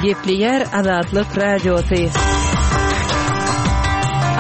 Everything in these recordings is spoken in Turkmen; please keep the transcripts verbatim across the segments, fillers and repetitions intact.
Gepleýär Azatlyk Radiosy.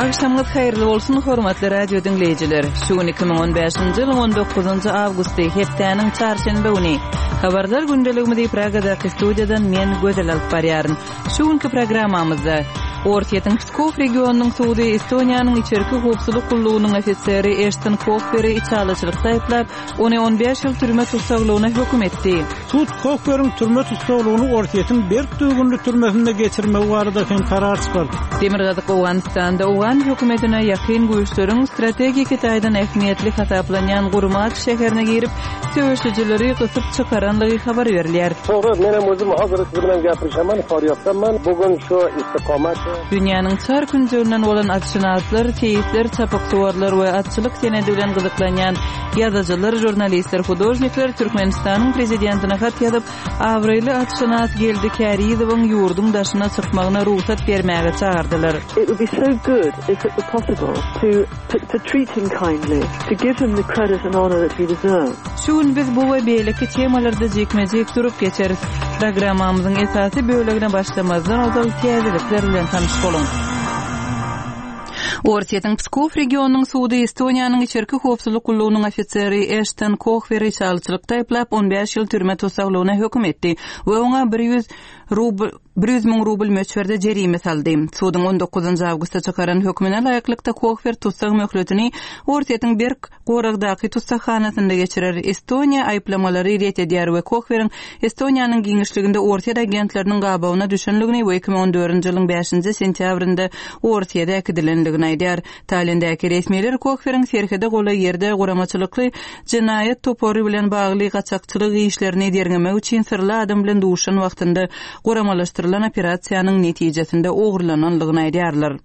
Agşamyňyz haýyrly bolsun, hormatly radio diňleýjiler. Şu gün iki müň on bäşinji ýylyň on dokuzynjy awgusty, hepdäniň çarşenbe güni. Habarlar gündeligimizi Pragadaky studiýadan men Gözel alyp barýaryn. Şu günki programmamyzda Orsýetiň Pskow regionynyň sudy Estoniýanyň içerki howpsuzlyk gullugynyň ofiseri Eşton Kohberi içalyçylykda aýyplap, ony on bäş ýyl türme tussaglygyna höküm etdi. Sud Kohberiň türme tussaglygyny Orsýetiň berk düzgünli türmesinde geçirmegi barada hem karar çykardy. Demirgazyk Owganystanda Owgan hökümetine ýakyn güýçleriň strategiki taýdan ähmiýetli hasaplanýan Gurmat şäherine girip, söweşijileri gysyp çykaranlygy habar berilýär. To'g'ri, men ham o'zim hozir siz bilan gaplashaman, Faryobdaman. Bugun shu istiqomat Dünýäniň çar künjeginden bolan atşynaslar, seýisler, çapyksuwarlar we atçylyk senedi bilen gyzyklanýan ýazyjylar, žurnalistler, hudožnikler Türkmenistanyň prezidentine hat ýazyp, abraýly atşynas Geldi Kärizowyň ýurduň daşyna çykmagyna rugsat bermäge çagyrdylar. It would be so good if it were possible to, to, to treat him kindly, to give him the credit and honor that he deserves. Şu gün biz bu we beýleki temalarda jikme-jik durup geçeris. Programmamyzyň esasy bölegine başlamazdan ozal täzelikler bilen tanyş boluň. Orsýetiň Pskow regionynyň sudy Estoniýanyň içerki howpsuzlyk gullugynyň ofiseri Eşton Kohberi içalyçylykda aýyplap on bäş ýyl türme tussaglygyna höküm etdi we oňa bir ýüz rubl, bir ýüz müň rubl möçberde jerime saldy. Suduň on dokuzynjy awgustda çykaran hökmüne laýyklykda Kohber tussag möhletini Orsýetiň berk goragdaky tussaghanasynda geçirer. Estoniýa aýyplamalary ret edýär we Kohberiň Estoniýanyň giňişliginde Orsýet agentleriniň gabawyna düşenligini we iki müň on dördünji ýylyň bäşinji sentýabrynda Orsýete äkidilenligini aýdýar. Tallindäki resmiler Kohberiň serhede golaý ýerde guramaçylykly jenaýat topary bilen bagly gaçakçylyk işlerini derňemek üçin syrly adam bilen duşan wagtynda guramalaşdyrylan operasiýanyň netijesinde ogurlananlygyny aýdýarlar.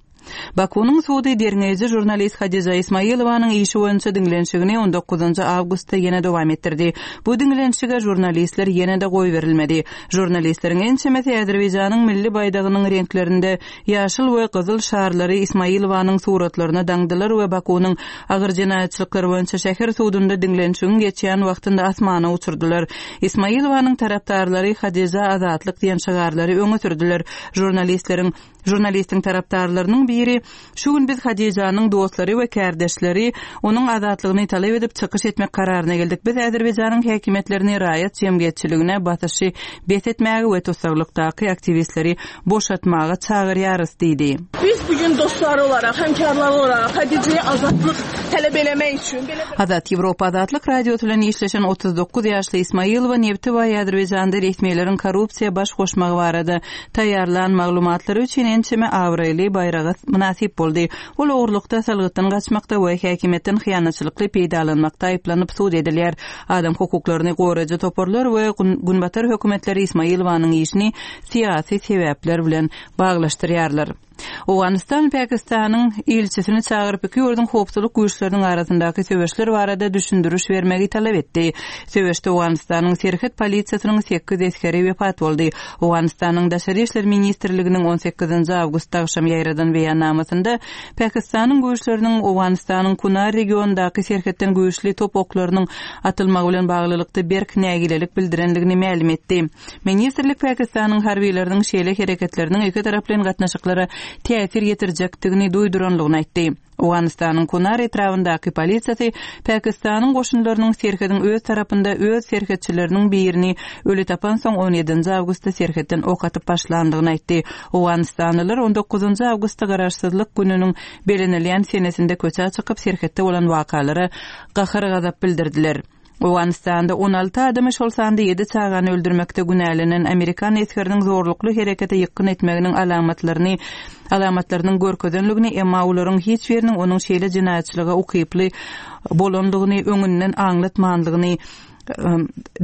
Bakunyň sudy derňeýji žurnalist Hadija Ismailowanyň işi boýunça diňlenişigini on dokuzynjy awgustda ýene dowam etdirdi. Bu diňlenişige žurnalistler ýene-de goýberilmedi. Žurnalistleriň ençemesi Azerbaýjanyň milli baýdagynyň reňklerinde ýaşyl we gyzyl şarlary Ismailowanyň suratlaryna daňdylar we Bakunyň agyr jenaýatçylyklar boýunça şäher sudunda diňlenişigiň geçýän wagtynda asmana uçurdylar. Ismailowanyň tarapdarlary Hadija azatlyk diýen şygarlary öňe sürdüler. Žurnalistleriň Žurnalistiň tarapdarlarynyň biri, şu gün biz Hadijanyň dostlary we kärdeşleri onuň azatlygyny talap edip çykyş etmek kararyna geldik. Biz Azerbaýjanyň häkimiýetlerini raýat jemgyýetçiligine basyşy bes etmäge we tussaglykdaky aktiwistleri boşatmaga çagyrýarys diýdi. Biz bugün dostlar olarak, hemkarlar olarak Hadija'ya azatlyk talap eləmək üçün belə Azat Ýewropa Azatlyk Radiosy bilen işleşen otuz dokuz ýaşly Ismailowa nebti we Azerbaýjanda resmileriň korrupsiýa baş goşmagy barada taýýarlan maglumatlary üçin ençeme abraýly baýraga mynasyp boldy. Ol ogurlukda salgytdan gaçmakda we häkimiýetden hyýanatçylykly peýdalanmakda aýyplanyp sud edilýär. Adam hukuklaryny goraýjy toparlar we gün-, günbatar hökümetleri Ismailowanyň işini syýasy sebäpler bilen baglaşdyrýarlar. Owganystan Pakistanyň ilçisini çagyryp iki ýurduň howpsuzlyk güýçleriniň arasyndaky söweşler barada düşündiriş bermegi talap etdi. Söweşde Owganystanyň serhet polisiýasynyň sekiz esgeri wepat boldy. Owganystanyň Daşary işler ministrliginiň on sekizinji awgustda agşam ýaýradan beýannamasynda Pakistanyň güýçleriniň Owganystanyň Kunar regionyndaky serhetden güýçli top oklarynyň atylmagy bilen baglylykda berk nägilelik bildirenligini mälim etdi. Ministrlik Pakistanyň harbiýlarynyň şeýle hereketleriniň iki taraplaýyn gatnaşyklara täsir ýetirjekdigini duýduranlygyny aýtdy. Owganystanyň Kunar etrabyndaky polisiýasy Pakistanyň goşunlarynyň serhediň öz tarapynda öz serhetçileriniň birini öli tapan soň on ýedinji awgustda serhetden ok atyp başlandygyny aýtdy. Owganystanlylar on dokuzynjy awgustda garaşsyzlyk gününiň belenilýän senesinde köçä çykyp serhetde bolan wakalara gahar-gazap bildirdiler. Owganystanda on alty adamy şol sanda ýedi çagany öldürmekde günälenen Amerikan esgeriniň zorlukly herekete ýykgyn etmeginiň alamatlaryny, alamatlarynyň görkezenligini, emma olaryň hiç biriniň onuň şeýle jenaýatçylyga ukyply bolandygyny öňünden aňlatmandygyny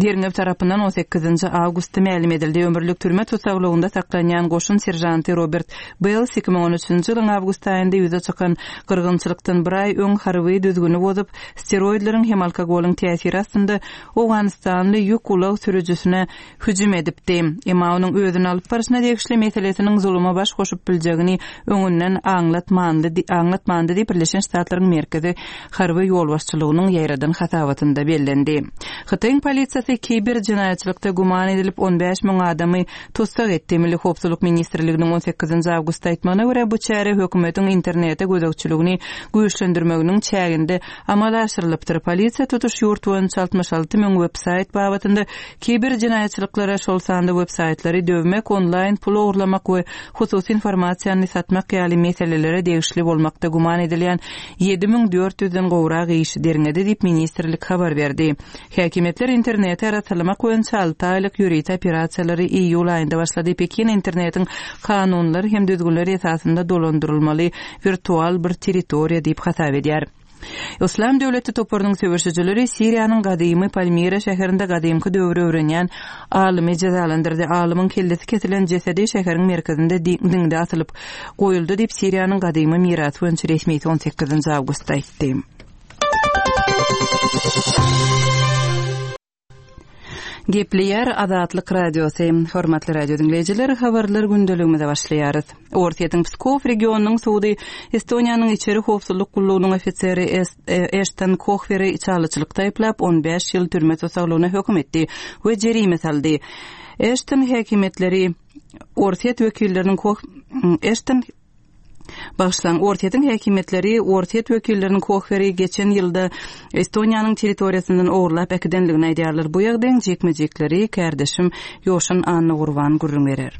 derňew tarapyndan on sekizinji awgustda mälim edildi. Ömürlik türme tusaglygynda saklanýan goşun serjanty Robert Bells iki müň on üçünji ýylyň awgust aýynda ýüze çykan gyrgynçylykdan bir aý öň harby düzgüni bozup, steroidleriň hem alkogolyň täsiri astynda Owganystanly ýük ulag sürüjisine hüjüm edipdi. Emma onuň özüni alyp barşyna degişli meselesiniň zuluma baş goşup biljegini öňünden aňlatmandy, aňlatmandy diýip Birleşen Ştatlaryň Merkezi Harby Ýolbaşçylygynyň ýaýradan hasabatynda bellendi. Hytaýyň polisiýasy kiber jenaýatçylykda güman edilip on bäş müň adamy tussag etdi. Milli howpsuzlyk ministrliginiň on sekizinji awgustda aýtmagyna görä, bu çäre hökümetiň internete gözegçiligini güýçlendirmeginiň çäginde amala aşyrylypdyr. Polisiýa tutuş ýurt boýunça altmyş alty müň web-saýt babatynda kiber jenaýatçylyklara, şol sanda web-saýtlary döwmek, onlaýn pul ogurlamak we hususy informasiýany satmak ýaly meselelere degişli bolmakda güman edilýän ýedi müň dört ýüzden gowrak işi derňedi diýip ministrlik habar berdi. Häkimiýetler interneti arassalamak boýunça alty aýlyk ýörite operasiýalary iýul aýynda başlady. Pekin internetiň kanunlar hem düzgünler esasynda dolandyrylmaly wirtual bir territoriýa diýip hasap edýär. Islam döwleti toparynyň söweşijileri Siriýanyň gadymy Palmira şäherinde gadymky döwri öwrenýän alymy jezalandyrdy. Alymyň kellesi kesilen jesedi şäheriň merkezinde diňde asylyp goýuldy diýip Siriýanyň gadymy mirasy boýunça resmisi on sekizinji awgustda aýtdy. Gepleýär Azatlyk Radiosy. Hormatly radio dinleýjiler, habarlar gündeligimize başlaýarys. Orsýetiň Pskov regionynyň sudy Estoniýanyň içeri howpsuzlyk gullugynyň ofiseri Eşton Kohweri içalyçylykda aýyplap on bäş ýyl türme tussaglygyna höküm etdi we jerime saldy. Eşton häkimiýetleri Orsýet wekilleriniň Koh Eşton Bagşlan Orsýetiň häkimiýetleri Orsýet wekilleriniň Kohweri geçen ýylda Estoniýanyň territoriýasyndan ogurlap äkidenligini aýdýarlar. Bu ýagdaýyň jekme-jekleri kärdeşim Ýoşan Anna Gurban gürrüň berer.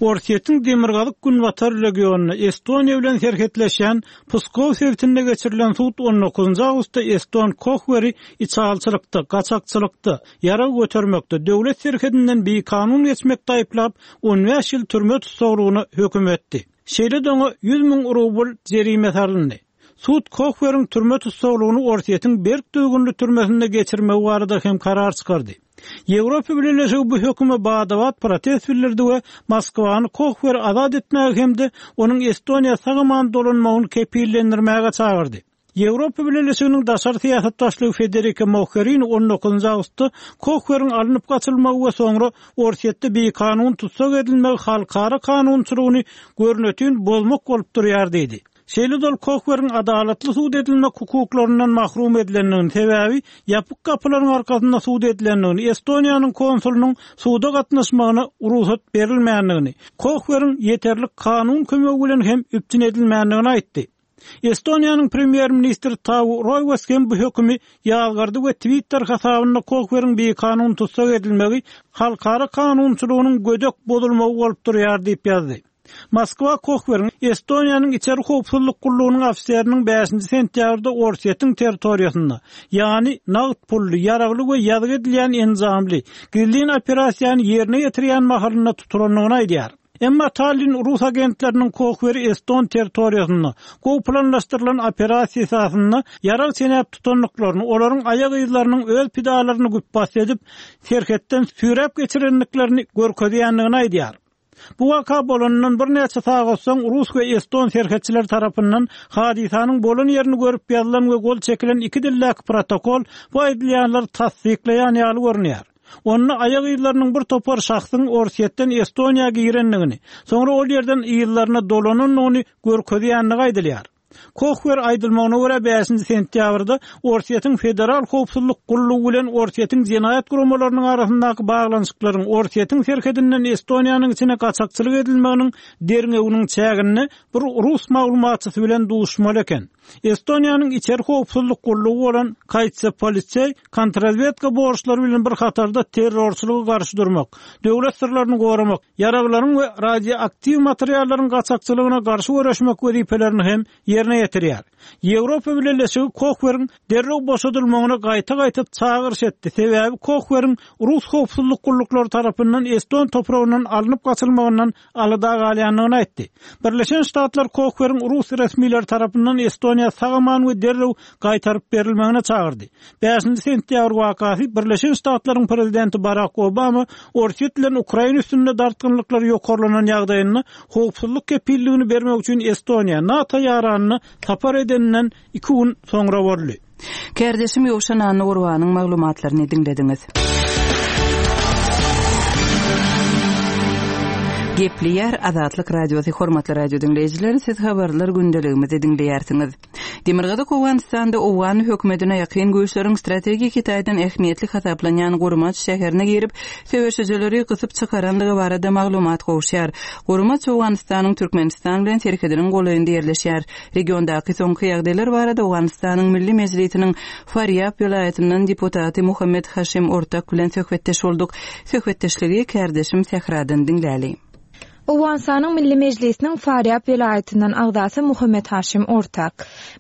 Orsýetiň Demirgazyk Günbatar regionynda Estoniýa bilen serhetleşýän Pskov sebitinde geçirilen sud on dokuzynjy awgustda Eston Kohweri içalçylykda, gaçakçylykda, ýarag götermekde, döwlet serhedinden bikanun geçmekde aýyplap on bäş ýyl türme tussaglygyna höküm etdi. Şeýle doňa ýüz müň rubl jerime salyndy. Sud Kohweriň türme tussaglygyny Orsýetiň berk düzgünli türmesinde geçirmegi barada hem karar çykardy. Ýewropa Birleşigi bu höküme badabat protest bildirdi we Moskwany Kohweri azat etmäge hem-de onuň Estoniýa sag-aman dolanmagyny kepillendirmäge çagyrdy. Ýewropa Birleşiginiň daşary syýasat başlygy Federica Mogherini on dokuzynjy awgustda Kohweriň alnyp gaçylmagy we soňra Orsýetde bikanun tussag edilmegi halkara kanunçylygyny görnütün bozmak bolup durýar diýdi. Şeýle dol Kohweriň adalatly sud edilmek hukuklaryndan mahrum edilendigini, sebäbi ýapyk gapylaryň arkasynda sud edilendigini, Estoniýanyň konsulynyň suda gatnaşmagyna rugsat berilmändigini, Kohweriň ýeterlik kanun kömegi bilen hem üpjün edilmändigini aýtdy. Estoniýanyň premýer-ministri Taavi Roivas hem bu hökümi ýazgardy we Twitter hasabynda Kohweriň bikanun tussag edilmegi halkara kanunçylygynyň gödek bozulmagy bolup durýar diýip ýazdy. Moskwa Kohweriň Estoniýanyň içeri howpsuzlyk gullugynyň ofiseriniň bäşinji sentýabrda Orsýetiň territoriýasynda, ýagny nagt pully, ýaragly we ýazgy edilýän enjamly gizlin operasiýany ýerine ýetirýän mahalynda tutulandygyny aýdýar. Emma Tallinn rus agentleriniň Kohweri Eston territoriýasynda gowy planlaşdyrylan operasiýa esasynda ýarag çenäp tutandyklaryny, olaryň aýak yzlarynyň öz pidalaryny güpbas edip, serhetden süýräp geçirendiklerini görkezýändigini aýdýar. Bu waka bolandan birnäçe sagat soň Rus we Eston serhetçileri tarapyndan hadysanyň bolan ýerini görüp ýazylan we gol çekilen iki dildäki protokol bu aýdylýanlary tassyklaýan ýaly görünýär. Onda aýak yzlarynyň bir topar şahsyň Orsýetden Estoniýa girendigini, soňra ol ýerden yzlaryna dolanandygyny görkezýändigi aýdylýar. Kohwer aýdylmagyna görä bäşinji sentýabrda Orsýetiň Federal Howpsuzlyk Gullugy bilen Orsýetiň jenaýat guramalarynyň arasyndaky baglanyşyklaryň Orsýetiň serhedinden Estoniýanyň içine gaçakçylyk edilmeginiň derňewiniň çäginde bir rus maglumatçysy bilen duşmaly eken. Estoniýanyň içeri howpsuzlyk gullugy bolan Kaitsepoliseý kontrrazvedka borçlary bilen bir hatarda terrorçylyga garşy durmak, döwlet syrlaryny goramak, ýaraglaryň we radioaktiw materiallaryň gaçakçylygyna garşy göreşmek wezipelerini hem ýerine ýetirýär. Ýewropa Birleşigi Kohweriň derrew boşadylmagyna gaýta-gaýta çagyryş etdi. Sebäbi Kohweriň rus howpsuzlyk gulluklary tarapyndan Eston topragyndan alnyp gaçylmagyndan alada galýandygyny aýtdy. Birleşen Ştatlar Kohweriň rus resmileri tarapyndan Estoniýa sag-aman we derrew gaýtaryp berilmegine çagyrdy. Bäşinji sentýabr wakasy Birleşen Ştatlaryň prezidenti Barack Obama Orsýet bilen Ukraina üstünde dartgynlyklar ýokarlanan ýagdaýynda howpsuzlyk kepilligini bermek üçin Estoniýa NATO ýaranyna sapar edeninden iki gün soňra boldy. Kärdeşim Ýowşan Anna Gurbanyň maglumatlaryny diňlediňiz. Gepleýär Azatlyk Radiosy, hormatly radio diňleýjiler, siz habarlar gündeligimizi diňleýärsiňiz. Demirgazyk Owganystanda Owgan hökümetine ýakyn güýçleriň strategik taýdan ähmiýetli hasaplanýan Gurmaç şäherine girip, söweşijileri gysyp çykarandygy barada maglumat gowuşýar. Gurmaç Owganystanyň Türkmenistan bilen serhediniň golaýynda ýerleşýär. Regiondaky soňky ýagdaýlar barada Owganystanyň Milli Mejlisiniň Farýab welaýatyndan deputaty Muhammed Haşim Ortak bilen söhbetdeş bolduk. Söhbetdeşligi kärdeşim Sähradan diňläli. Owganystanyň Milli Mejlisiniň Farýab welaýatyndan agzasy Muhammed Haşim Ortak.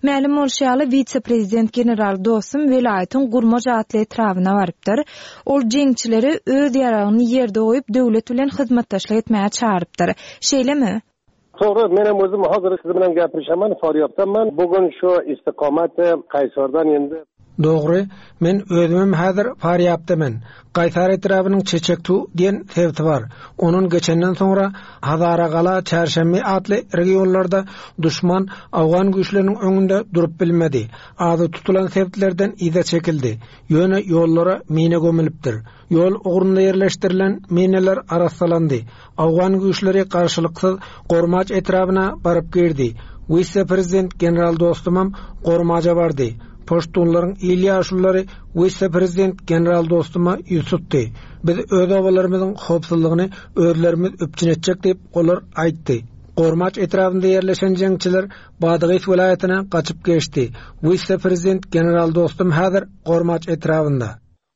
Mälim bolşy ýaly wise-prezident general Dostum welaýatyň Gurmaç atly etrabyna barypdyr. Ol jeňçileri öz ýaragyny ýerde goýup döwlet bilen hyzmatdaşlyk etmäge çagyrypdyr. Şeýlemi? To'g'ri, men ham o'zim hozir siz bilan gaplashaman, Faryobdaman. Bugun shu istiqomat Qaysardan endi Dogry, men özümem häzir Farýabdaman. Gaýsar etrabynyň Çeçektu diýen sebiti bar. Onun geçenden soňra Hazaragala, Çarşenbe atly regionlarda duşman Awgan güýçleriniň öňünde durup bilmedi. Azy tutulan sebitlerden yza çekildi. Ýöne ýollara mine gömülipdir. Ýol ugrunda ýerleşdirilen mineler arassalandy. Awgan güýçleri garşylyksyz Gormaç etrabyna baryp girdi. Wise-prezident general Dostumam Gormaja bardy. Poştunlaryň il ýaşulylary wise-prezident general Dostuma ýüz tutdy. Biz öz obalarymyzyň howpsuzlygyny özlerimiz üpjün etjek diýip olar aýtdy. Gormaç etrabynda ýerleşen jeňçiler Badagys welaýatyna gaçyp geçdi. Wise-prezident general Dostum häzir Gormaç etrabynda.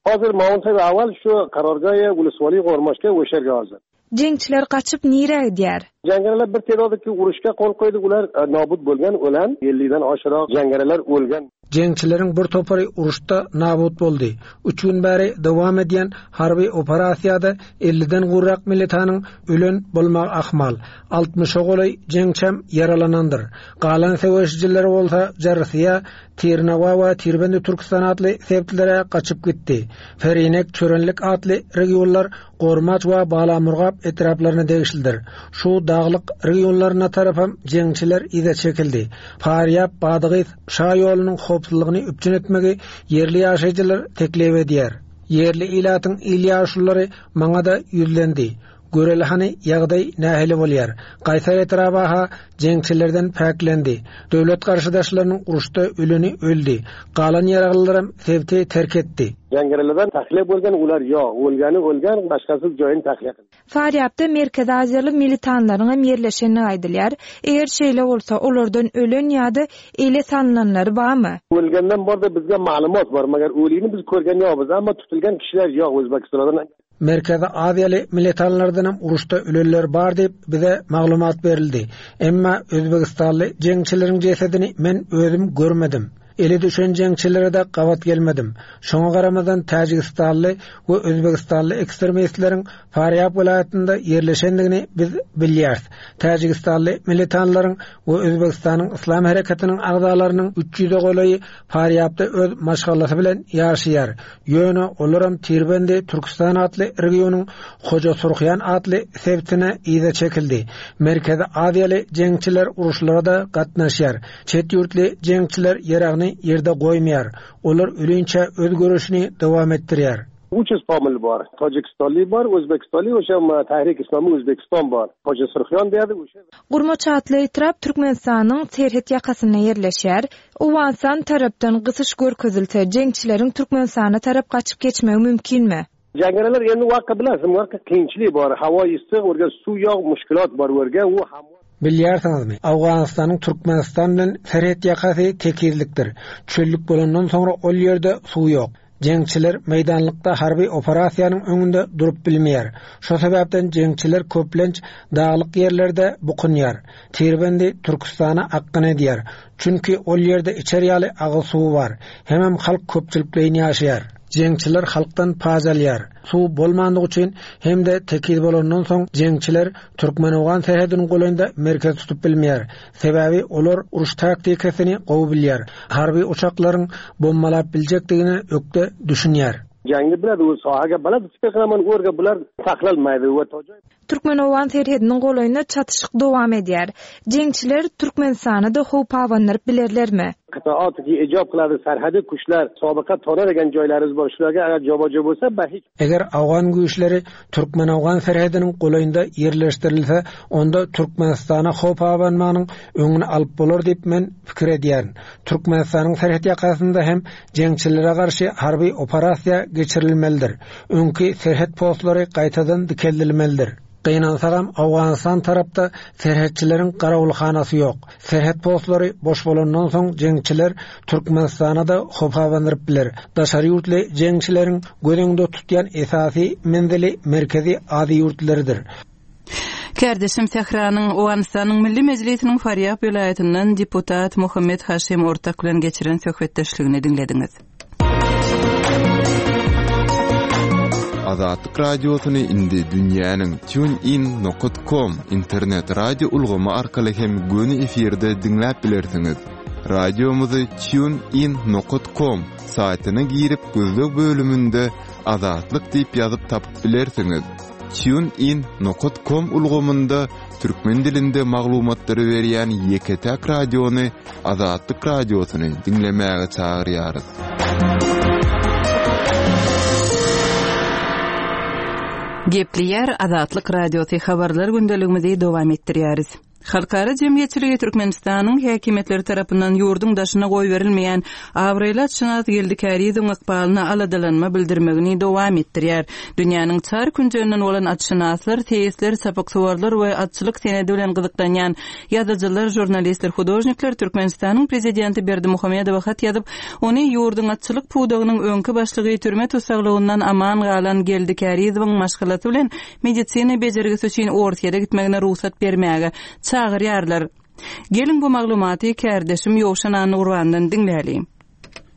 Hozir maunta avval shu qarorgohi ulusvoliy Gormachga o'sha yerga hozir. Jeňçiler gaçyp nirä gidýär? Jangarilar bir tedodiki urushga qo'l qo'ydi, ular e, nobud bo'lgan, o'lan ellikdan oshiroq jangarilar o'lgan. Jeňçileriň bir topary uruşda nabut boldy. Üç gün bäri dowam edýän harby operasiýada elliden gurrak militanyň ölen bolmagy ahmal. Altmyşa golaý jeňçem ýaralanandyr. Galan söweşijiler bolsa Jarsyýa, Tirnawa we Tirbendi Türkistan atly sebitlere gaçyp gitdi. Ferinek, Çörenlik atly regionlar Gormaç we Balamurgap etraplaryna degişlidir. Şu daglyk regionlaryna tarapam jeňçiler yza çekildi. Farýab, Badagys şa ýolunyň howpsuzlygyny üpjün etmegi ýerli ýaşaýjylar teklip edýär. Ýerli ilatyň il ýaşulylary maňa da ýüzlendi. Göreli hany ýagdaý nähili bolýar. Gaýsar etrabaha jeňçilerden päklendi. Döwlet garşydaşlarynyň uruşda öleni öldi. Galan ýaraglylaram sebiti terk etdi. Jangarilardan tahliya bo'lgan, ular yo'q, o'lgani o'lgan, boshqasi joyini tahliya qildi. Farýabda Merkezi Aziýaly militanlaryň hem ýerleşenini aýdylýar. Eger şeýle bolsa, olardan ölen ýa-da ele salynanlary barmy? O'lgandan borda bizga ma'lumot bor, magar o'ligini biz ko'rgan yo'qmiz, ammo tutilgan kishilar yo'q O'zbekistondan. Merkezi Aziýaly militanlardan hem uruşda ölenler bar diýip bize maglumat berildi. Emma Özbegistanly jeňçileriň jesedini men özüm görmedim. Eli düşen jeňçilere de gabat gelmedim. Şoňa garamadan Täjigistanly we Özbegistanly ekstremistleriň Farýab welaýatynda ýerleşendigini biz bilýäris. Täjigistanly militanlaryň we Özbegistanyň Islam hereketiniň agzalarynyň üç ýüze golaýy Farýabda öz maşgalasy bilen ýaşaýar. Ýöne olaram Tirbendi Türkistan atly regionyň Hoja Surhyan atly sebitine yza çekildi. Merkezi Aziýaly jeňçiler uruşlara da gatnaşýar. Çet ýurtly jeňçiler ýaragyny ýerde goýmaýar. Olar ölinçä öz görüşini dowam etdirýär. Uch yuz pomil bor. Tojikistonlik bor, O'zbekistonlik, o'sha Tahrik Islomiy O'zbekiston bor. Hoja Surxyon deyadi o'sha. Gurmaç atly etrap Türkmenistanyň serhet ýakasynda ýerleşýär. Owganystan tarapdan gysyş görkezilse, jeňçileriň Türkmenistana tarap gaçyp geçmegi mümkinmi? Jangarilar endi vaqt bilasizmi, vaqt qiyinchilik bor, havo issiq, o'rga suv yo'q, mushkulot bor o'rga, u ham Bilýärsiňizmi? Awganystanyň Türkmenistan bilen serhet ýakasy tekizlikdir. Çöllük bolandan soňra ol ýerde suw ýok. Jeňçiler meýdanlykda harby operasiýanyň öňünde durup bilmeýär. Şo sebäpden jeňçiler köplenç daglyk ýerlerde bukunýar. Tirbendi Türkistana akgyn edýär. Çünki ol ýerde içer ýaly agyz suwy bar. Hemem halk köpçülikleýin ýaşaýar. Jeňçiler halkdan paj alýar. Suw bolmandygy üçin hem-de tekiz bolandan soň jeňçiler Türkmen-Owgan serhediniň golaýynda merkez tutup bilmeýär. Sebäbi olar uruş taktikasyny gowy bilýär. Harby uçaklaryň bombalap biljekdigine ökde düşünýär. Jangni biladi, u sohaga balad, fikr qilaman, o'rga bular saqlanmaydi va Türkmen-Owgan serhediniň golaýynda çatyşyk dowam edýär. Jeňçiler Türkmenistana-da howp abandyryp bilerlermi? Qitoati ki ijab qiladi sarhadi kuchlar sobiqa to'ladigan joylarimiz bor shularga agar joba-jo bo'lsa ba hech Eger Awgan güýçleri Türkmen-Awgan serhediniň golaýynda ýerleşdirilse, onda Türkmenistana howp abanmagynyň öňüni alyp bolar diýip men pikir edýärin. Türkmenistanyň serhet ýakasynda hem jeňçilere garşy harby operasiýa geçirilmelidir. Öňki serhet postlary gaýtadan dikeldilmelidir. Gynansagam Awganystan tarapda serhetçileriň garawulhanasy ýok. Serhet postlary boş bolandan soň jeňçiler Türkmenistana da howp abandyryp biler. Daşary ýurtly jeňçileriň göz öňünde tutýan esasy menzili Merkezi Aziýa ýurtlarydyr. Kärdeşim Tähranyň Owganystanyň Milli Mejlisiniň Farýab welaýatyndan deputat Muhammed Haşim Ortak bilen geçiren söhbetdeşligini diňlediňiz. Azatlyk Radiosyny indi dünýäniň tunein nokta com internet radio ulgamy arkaly hem göni efirde diňläp bilersiňiz. Radiomyzy tunein nokta com saýtyna girip gözleg bölüminde Azatlyk diýip ýazyp tapyp bilersiňiz. tunein nokta com ulgamynda türkmen dilinde maglumatlary berýän ýeke-täk radiony Azatlyk Radiosyny diňlemäge çagyrýarys. Gepleýär Azatlyk Radiosy, habarlar gündeligimizi dowam etdirýäris. Halkara jemgyýetçiligi Türkmenistanyň häkimiýetleri tarapyndan ýurduň daşyna goýberilmeýän abraýly atşynas Geldi Kärizowyň ykbalyna aladalanma bildirmegini dowam etdirýär. Dünýäniň çar künjeginden bolan atşynaslar, seýisler, çapyksuwarlar we atçylyk senedi bilen gyzyklanýan ýazyjylar, žurnalistler, hudožnikler Türkmenistanyň prezidenti Berdimuhamedowa hat ýazyp, ony ýurduň atçylyk pudagynyň öňki başlygy, türme tussaglygyndan aman galan Geldi Kärizowyň maşgalasy bilen medisina bejergisi üçin Orsýete gitmegine rugsat bermäge çagyrýarlar. Geliň, bu maglumaty kärdeşim Ýowşan Annagurbandan diňläliň.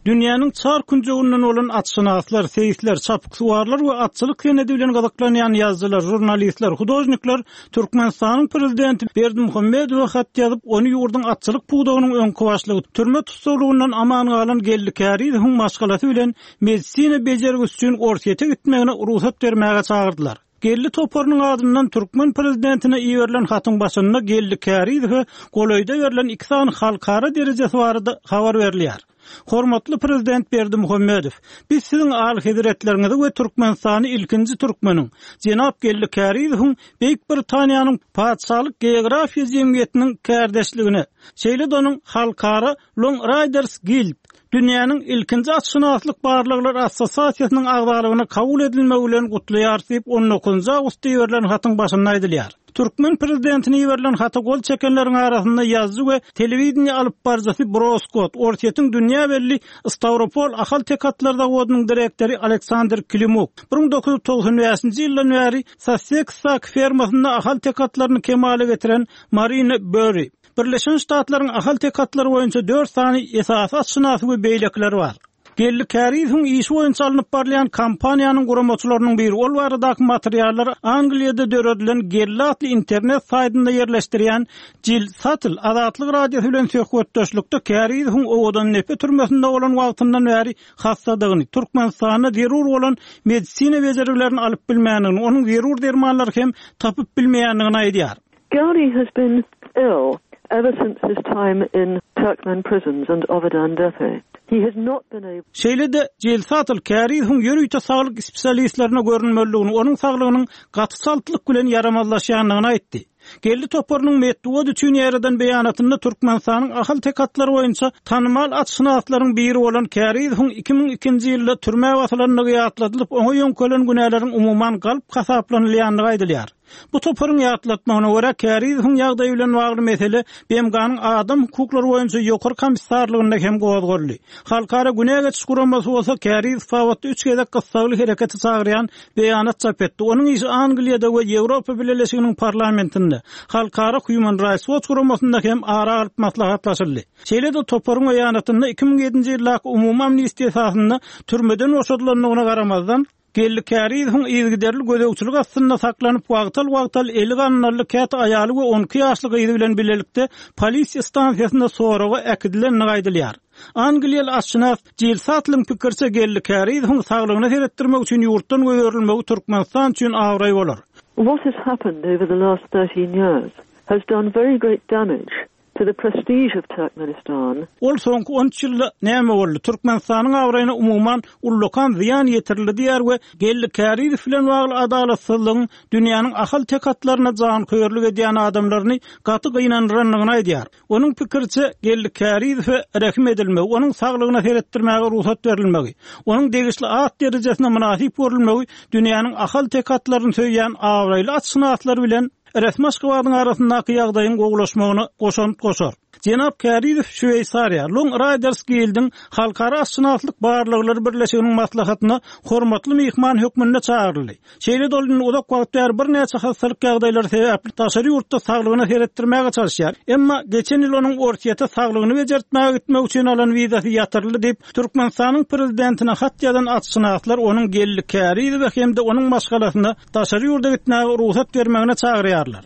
Dünýäniň çar künjeginden bolan atşynaslar, seýisler, çapyksuwarlar we atçylyk senedi bilen gyzyklanýan ýazyjylar, žurnalistler, hudožnikler Türkmenistanyň prezidenti Berdimuhamedowa hat ýazyp, ony ýurduň atçylyk pudagynyň öňki başlygy, türme tussaglygyndan aman galan Geldi Kärizowyň maşgalasy bilen medisina bejergisi üçin Orsýete gitmegine rugsat bermäge çagyrdylar. Geldi toparynyň adyndan türkmen prezidentine iberilen hatyň başynda Geldi Kärizowa golaýda berlen iki sany halkara derejesi barada habar berilýär. Hormatly prezident Berdimuhamedow, biz siziň alyhezretleriňizi we Türkmenistany ilkinji türkmeniň, jenap Geldi Kärizowyň Beýik Britaniýanyň Patyşalyk Geografiýa jemgyýetiniň kärdeşligine, şeýle-de onuň Halkara Long Riders Guild, dünýäniň ilkinji atşynaslyk barlaglar assosiasiýasynyň agzalygyna kabul edilmegi bilen gutlaýar diýip, on dokuzynjy awgustda iberilen hatyň başynda aýdylýar. Türkmen prezidentine iberilen hata gol çekenleriň arasynda ýazyjy we telewideniýe alyp baryjysy Bro Skott, Orsýetiň dünýä belli Stawropol ahal-teke atlar zawodynyň direktory Aleksandr Klimuk, bir müň dokuz ýüz togsan bäşinji ýyldan bäri Susseksdaky fermasynda ahal-teke atlaryny kemala getiren Marina Berry, Birleşen Ştatlaryň ahal-teke atlary boýunça dört sany esasy atşynasy we beýlekiler bar. Geldi Kärizowyň işi boýunça alnyp barylýan kampaniýanyň guramaçylarynyň biri, ol baradaky materiallar Angliýada döredilen Geldi atly internet saýtynda ýerleşdirýän Jill Sattel Azatlyk Radiosy bilen söhbetdeşlikde Kärizowyň Owadandepe türmesinde bolan wagtyndan bäri hassadygyny, Türkmenistanda zerur bolan medisina bejergilerini alyp bilmändigini, onuň zerur dermanlary hem tapyp bilmeýändigini aýdýar. Geldi has been ill ever since his time in Turkmen prisons and Ovadan Depe. He has not been able Şeýle-de Jill Sattel Kärizowyň ýörite saglyk spesialistlerine görünmelidigini, onuň saglygynyň gaty çaltlyk bilen ýaramazlaşýandygyny aýtdy. Geldi toparynyň metbugat üçin ýaradan beýanatynda Türkmenistanyň ahal-teke atlary boýunça tanymal atşynaslaryň biri bolan Kärizowyň iki müň ikinji ýylda türmä basylandygy ýatladylyp, oňa ýöňkelen günäleriň umuman galp hasaplanylýandygy aýdylýar. Bu toparyň ýatlatmagyna görä, Kärizowyň ýagdaýy bilen bagly mesele B M G-nyň adam hukuklary boýunça ýokary komissarlygynda hem gozgaldy. Halkara günä geçiş guramasy bolsa Kärizow babatda üç gezek gyssagly herekete çagyrýan beýanat çap etdi. Onuň işi Angliýada we Ýewropa Bileleşiginiň parlamentinde, Halkara Human Rights Watch guramasynda hem ara alyp maslahatlaşyldy. Şeýle-de toparyň beýanatynda iki müň ýedinji ýyldaky umumy amnistiýa esasynda türmeden boşadylandygyna garamazdan, Geldi Kärizowyň yzygiderli gözegçilik astynda saklanyp, wagtal-wagtal eli gandally, käte aýaly we on iki ýaşly gyzy bilen bilelikde polisiýa stansiýasynda soraga äkidilendigi aýdylýar. Angliýaly atşynas Jill Sattlyň pikiriçe, Geldi Kärizowyň saglygyna seretdirmek üçin ýurtdan goýberilmegi Türkmenistan üçin abraý bolar. What has happened over the last thirteen years has done very great damage to the prestige of Turkmenistan. Ol soňky on üç ýylda näme boldy? Türkmenistanyň abraýyna umuman ullakan zyýan ýetirildi diýär we Geldi Kärizow bilen bagly adalatsyzlygyň dünýäniň ahal tekatlaryna janköýerlik edýän adamlaryny gaty gynandyrandygyny aýdýar. Onuň pikiriçe Geldi Kärizowe rehim edilmegi, onuň saglygyna seretdirmäge rugsat berilmegi, onuň degişli at derejesine mynasyp görülmegi dünýäniň ahal tekatlaryny söýýän abraýly atşynaslar bilen Resmi Aşgabadyň arasyndaky ýagdaýyň gowulaşmagyna goşant goşar. Jenap Kärizow Şweýsariýa Long Riders Guildiň Halkara atşynaslyk barlaglary birleşiginiň maslahatyna hormatly myhman hökmünde çagyryldy. Şeýle-de ol indi uzak wagt bäri birnäçe hastalyk ýagdaýlary sebäpli daşary ýurtda saglygyna seretdirmäge çalışýar. Emma geçen ýyl onuň Orsýete saglygyny bejertmäge gitmek üçin alan wizasy ýatyryldy diýip, Türkmenistanyň prezidentine hat ýazan atşynaslar onuň Geldi Kärizowe hem-de onuň maşgalasyna daşary ýurda gitmäge rugsat bermegine çagyrýarlar.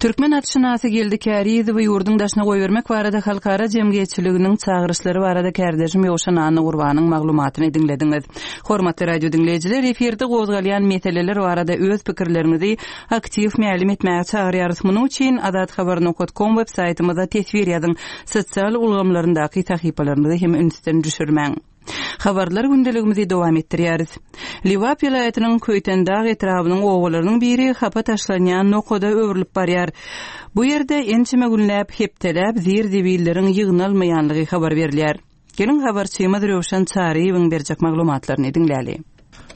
Türkmen atşynasy Geldi Kärizowy ýurduň daşyna goýbermek barada halkara jemgyýetçiliginiň çagyryşlary barada kärdeşim Ýowşan Annagurbanyň maglumatyny diňlediňiz. Hormatly radio diňleýjiler, efirde gozgalýan meseleler barada öz pikirleriňizi aktiw mälim etmäge çagyrýarys. Munuň üçin azathabar nokta com web saýtymyza teswir ýazyň. Sosial ulgamlaryndaky sahypalarymyzy hem ünsden düşürmäň. Habarlar gündeligimizi dowam etdirýäris. Lebap welaýatynyň Köýtendag etrabynyň owalarynyň biri hapa taşlanýan nokada öwrülip barýar. Bu ýerde ençeme günläp hepdeläp zir-zibilleriň ýygnalmaýanlygy habar berilýär. Geliň habarçymyz Röwşen Çaryýewiň berjek maglumatlaryny diňläli.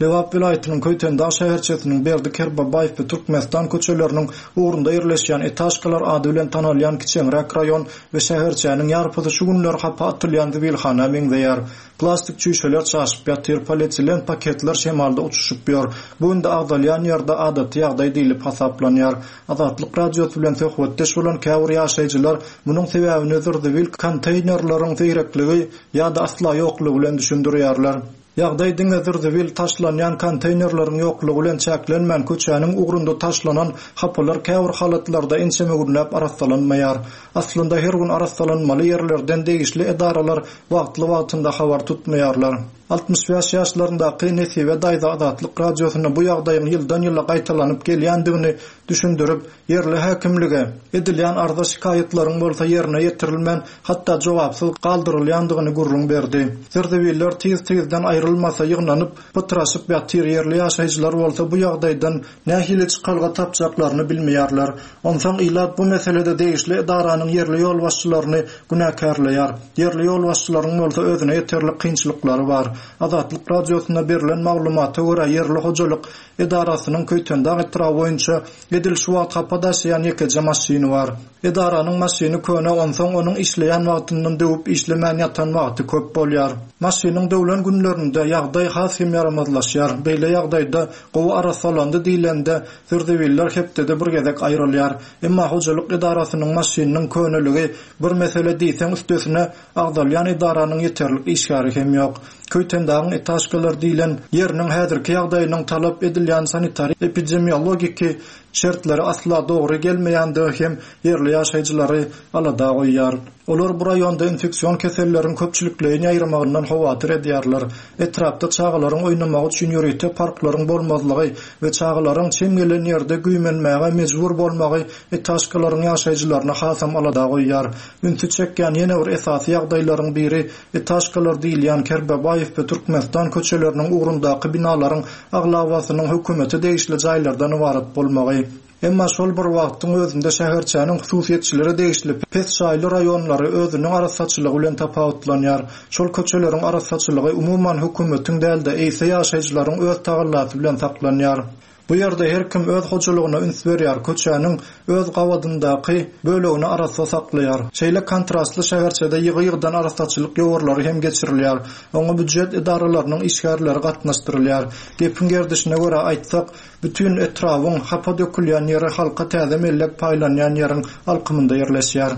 Lebap welaýatynyň Köýtendag şäherçesiniň Berdi Kerbabaýew we Türkmenistan köçeleriniň ugrunda ýerleşýän Etaşkalar ady bilen tanalýan kiçeňräk raýon we şäherçäniň ýarpysy şu günler hapa atylýan zibilhana meňzeýär. Plastik çüýşeler çaşyp ýatyr, polietilen paketler şemalda uçuşyp ýör. Bu günde agzalýan ýerde adaty ýagdaý diýlip hasaplanýar. Azatlyk radiosy bilen söhbetdeş bolan käbir ýaşaýjylar munuň sebäbini zir-zibil konteýnerleriň seýrekligi ýa-da asla ýoklugy bilen düşündirýärler. Ýagdaý diňe zir-zibil taşlanýan konteýnerleriň ýoklugy bilen çäklenmän köçäniň ugrunda taşlanan hapalar käbir halatlarda ençeme günläp arassalanmaýar. Aslynda her gün arassalanmaly ýerlerden degişli edaralar wagtly-wagtynda habar tutmaýarlar. Altmyş bäş ýaşlaryndaky Nesibe daýza Azatlyk radiosynda bu ýagdaýyň ýyldan ýyla gaýtalanyp gelýändigini düşündirip, ýerli häkimlige edilýän arza şikaýatlaryň bolsa ýerine ýetirilmän, hatda jogapsyz galdyrylýandygyny gürrüň berdi. Zir-zibiller tiz-tizden aýrylmasa ýygnanyp, pytraşyp ýatyr, ýerli ýaşaýjylar bolsa bu ýagdaýdan nähili çykalga tapjaklaryny bilmeýärler. Onsoň ilat bu meselede degişli edaranyň ýerli ýolbaşçylaryny günäkärleýär. Ýerli ýolbaşçylaryň bolsa özüne ýeterlik kynçylyklary bar. Azatlyk radiosynda berlen maglumata görä ýerli hojalyk edarasynyň Köýtendag etraby boýunça edil şu wagt hapa daşaýan ýekeje maşyny bar. Edaranyň maşyny köne, onsoň onuň işleýän wagtyndan döwüp işlemän ýatan wagty köp bolýar. Maşynyň döwlen günlerinde ýagdaý has hem ýaramazlaşýar. Beýle ýagdaýda gowy arassalandy diýlende zir-zibiller hepdede bir gezek aýrylýar. Emma hojalyk edarasynyň maşynynyň köneligi bir mesele diýseň üstesine agzalýan edaranyň ýeterlik işgäri hem ýok. Köýtendagyň etaşkalar diýlen ýeriniň häzirki ýagdaýynyň talap edilýän sanitar epidemiologiki şertleri asla dogry gelmeýändigi hem ýerli ýaşaýjylary alada goýýar. Olar bu raýonda infeksiyon keselleriň köpçülikleýin ýaýramagyndan howatyr edýärler. Etrapda çagalaryň oýnamagy üçin ýörite parklaryň bolmazlygy we çagalaryň çem gelen ýerde güýmenmäge mejbur bolmagy etaşkalaryň ýaşaýjylaryna hasam alada goýýar. Ünsi çekýän ýene bir esasy ýagdaýlaryň biri etaşkalar diýilýän Kerbabaýew we Türkmenistan köçeleriniň ugrundaky binalaryň aglabasynyň hökümete degişli jaýlardan ybarat bolmagy. Emma şol bir wagtyň özünde şäherçäniň hususyýetçilere degişli pes jaýly raýonlary özüniň arassaçylygy bilen tapawutlanýar. Şol köçeleriň arassaçylygy umuman hökümetiň däl-de, eýse ýaşaýjylaryň öz tagallasy bilen saklanýar. Bu ýerde her kim öz hojalygyna üns berýär, köçäniň öz gabadyndaky bölegini arassa saklaýar. Şeýle kontrastly şäherçede ýygy-ýygydan arassaçylyk ýowarlary hem geçirilýär. Oňa býujet edaralarynyň işgärleri gatnaşdyrylýar. Gepiň gerdişine görä aýtsak, bütün etrabyň hapa dökülýän ýeri halka täze mellek paýlanýan ýeriň alkymynda ýerleşýär.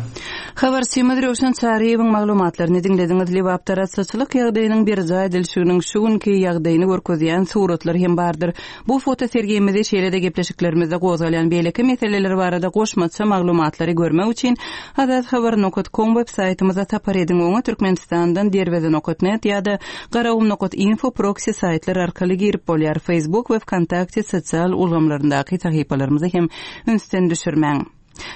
Habarçymyz Röwşen Çaryýewiň maglumatlaryny diňlediňiz. Lebapda arassaçylyk ýagdaýynyň berjaý edilişiniň şu günki ýagdaýyny görkezýän suratlar hem bardyr. Bu foto sergimizi şeýle-de gepleşiklerimizde gozgalýan beýleki meseleler barada goşmaça maglumatlary görmek üçin azathabar nokta com web saýtymyza sapar ediň. Oňa Türkmenistandan derweze nokta net ýa-da garagum nokta info proxy saýtlar arkaly girip bolýar. Facebook we VKontakte sosial ulgamlaryndaky sahypalarymyzy hem ünsden düşürmäň.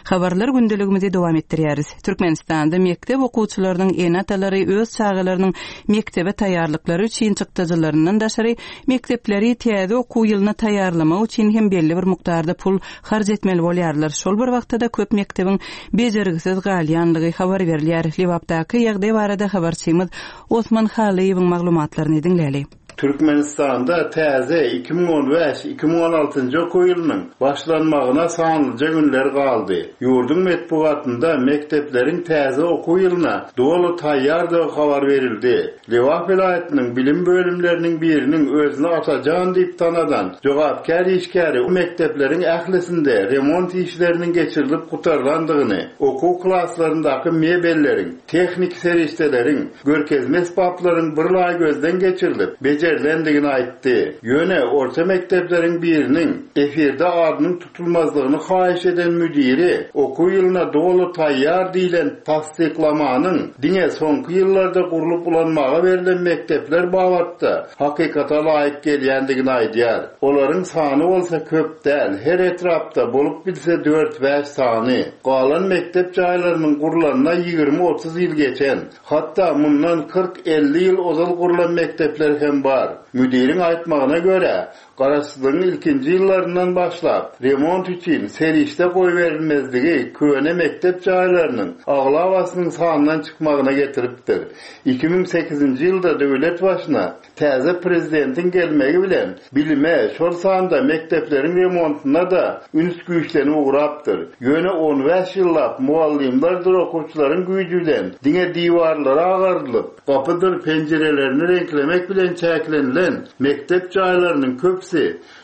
Habarlar gündeligimizi dowam etdirýäris. Türkmenistanda mekdep okuwçylarynyň ene-atalary öz çagalarynyň mekdebe taýýarlyklary üçin çykdajylaryndan daşary mekdepleri täze okuw ýylyna taýýarlamak üçin hem belli bir mukdarda pul harç etmeli bolýarlar. Şol bir wagtda-da köp mekdebiň bejergisiz galýanlygy habar berilýär. Lebapdaky ýagdaý barada habarçymyz Osman Halyýewiň maglumatlaryny diňläli. Türkmenistanda täze iki müň on bäş iki müň on altynjy okuw ýylynyň başlanmagyna sanlyja günler galdy. Ýurduň metbugatynda mekdepleriň täze okuw ýylyna doly taýýardygy habar berildi. Lebap welaýatynyň bilim bölümleriniň biriniň özüni Atajan diýip tanadan jogapkär işgäri mekdepleriň ählisinde remont işleriniň geçirilip gutarylandygyny, okuw klaslaryndaky mebelleriň, tehnik serişdeleriň, görkezme esbaplaryň bir laý gözden geçirilip becerilendigini aýtdy. Ýöne orta mekdepleriň biriniň efirde adynyň tutulmazlygyny haýyş eden müdiri okuw ýylyna doly taýýar diýlen tassyklamanyň diňe soňky ýyllarda gurlup ulanmaga berlen mekdepler babatda hakykata laýyk gelýändigini aýdýar. Olaryň sany bolsa köp däl, her etrapda bolup bilse dört bäş sany. Galan mekdep jaýlarynyň gurlanyna ýigrimi otuz ýyl geçen, hatda mundan kyrk elli ýyl ozal gurlan mekdepler hem bar. Müdiriň aýtmagyna görä, Garaşsyzlygyň ilkinji ýyllaryndan başlap remont üçin serişde goýberilmezligi köne mekdep jaýlarynyň aglabasynyň sandan çykmagyna getiripdir. iki müň sekizinji ýylda döwlet başyna täze prezidentiň gelmegi bilen bilime, şol sanda mekdepleriň remontuna da üns güýçlenip ugrapdyr. Ýöne on bäş ýyllap muallimlerdir okuwçylaryň güýji bilen diňe diwarlary agardylyp, gapydyr penjirelerini reňklemek bilen çäklenilen mekdep jaýlarynyň köpüsi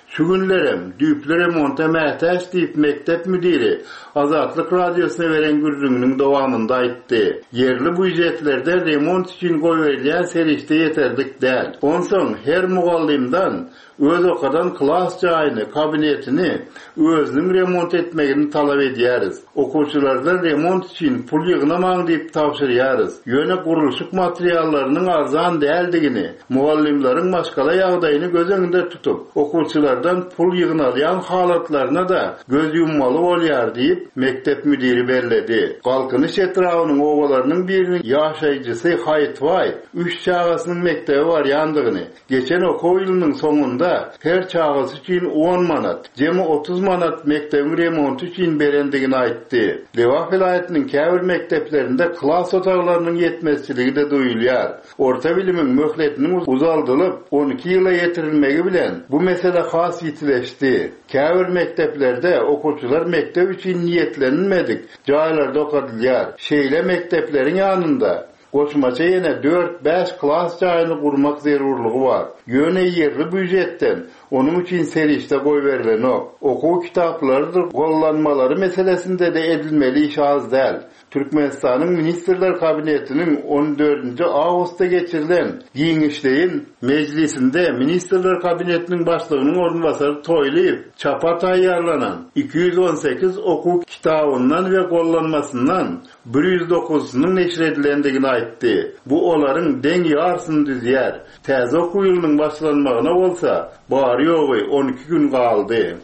şu günlerem düýpli remonta mätäç diýip mekdep müdiri Azatlyk radiosyna beren gürrüňiniň dowamynda aýtdy. Ýerli býujetlerde remont üçin goýberilýän serişde ýeterlik däl. Onsoň her mugallimdan öz okadan klas jaýyny, kabinetini özüniň remont etmegini talap edýäris. Okuwçylardan remont üçin pul ýygnamaň diýip tabşyrýarys. Ýöne gurluşyk materiallarynyň arzan däldigini, mugallimleriň maşgala ýagdaýyny göz öňünde tutup, okuwçylardan pul ýygnalýan halatlaryna da göz ýummaly bolýar diýip mekdep müdiri belledi. Galkynyş etrabynyň obalarynyň biriniň ýaşaýjysy Haýytbaý üç çagasynyň mekdebe barýandygyny, geçen okuw ýylynyň soňunda her çagasy üçin on manat, jemi otuz manat mekdebiň remonty üçin berendigini aýtdy. Lebap welaýatynyň käbir mekdeplerinde klas otaglarynyň ýetmezçiligi de duýulýar. Orta bilimiň möhletiniň uzaldylyp on iki ýyla ýetirilmegi bilen bu mesele has ýitileşdi. Käbir mekdeplerde okuwçylar mekdep üçin niýetlenmedik jaýlarda okadylýar. Şeýle mekdepleriň ýanynda goşmaça ýene dört bäş klas jaýyny gurmak zerurlygy bar. Ýöne ýerli býujetden onuň üçin serişde goýberilenok. Okuw kitaplarydyr gollanmalary meselesinde de edilmeli iş az däl. Türkmenistanyň Ministrler Kabinetiniň on dördünji awgustda geçirilen giňişleýin mejlisinde Ministrler Kabinetiniň başlygynyň orunbasary Toýlyýew çapa taýýarlanan iki ýüz on sekiz okuw kitabyndan we gollanmasyndan bir ýüz dokuzynyň neşir edilendigini aýtdy. Bu olaryň deň ýarsyny düzýär. Täze okuw ýylynyň başlanmagyna bolsa bary ýogy on iki gün galdy.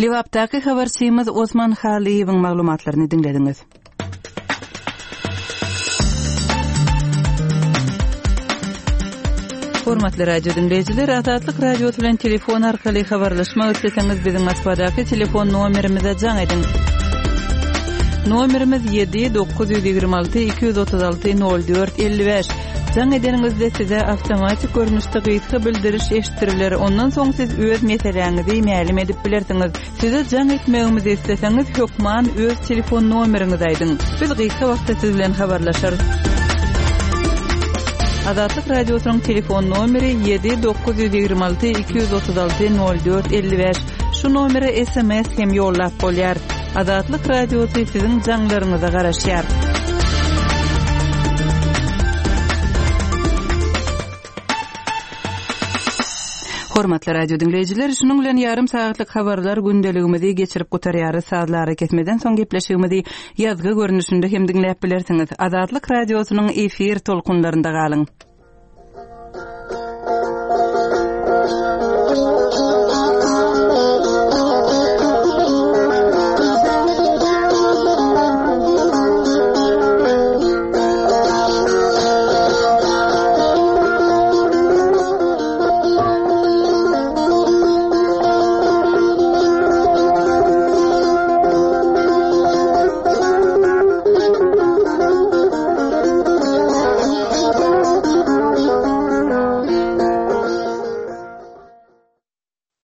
Lebapdaky habarçymyz Osman Halyýewiň maglumatlaryny diňlediňiz. Hormatly radio dinleýjiler, Azatlyk radiosy bilen telefon arkaly habarlaşmak isleseňiz biziň Moskwadaky telefon nomerimize jaň ediň. Nomerimiz ýedi dokuz ýüz ýigrimi alty iki ýüz otuz alty nol dört elli bäş. Jaň edeniňizde size awtomatik görnüşde gysga bildiriş eşitdiriler. Ondan soň siz öz meseläňizi mälim edip bilersiňiz. Size jaň etmegimizi isleseňiz hökman öz telefon nomeriňizi aýdyň. Biz gysga wagtda siz bilen habarlaşarys. Azatlyk radiosynyň telefon nomeri ýedi dokuz ýüz ýigrimi alty iki ýüz otuz alty nol dört elli bäş. Şu nomere S M S hem ýollap bolýar. Azatlyk radiosy siziň jaňlaryňyza garaşýar. Hormatly radio diňleýjiler, şunuň bilen ýarym sagatlyk habarlar gündeligimizi geçirip gutarýarys. Sazlary kesmeden soň gepleşigimizi ýazgy görnüşinde hem diňläp bilersiňiz. Azatlyk radiosynyň efir tolkunlarynda galyň.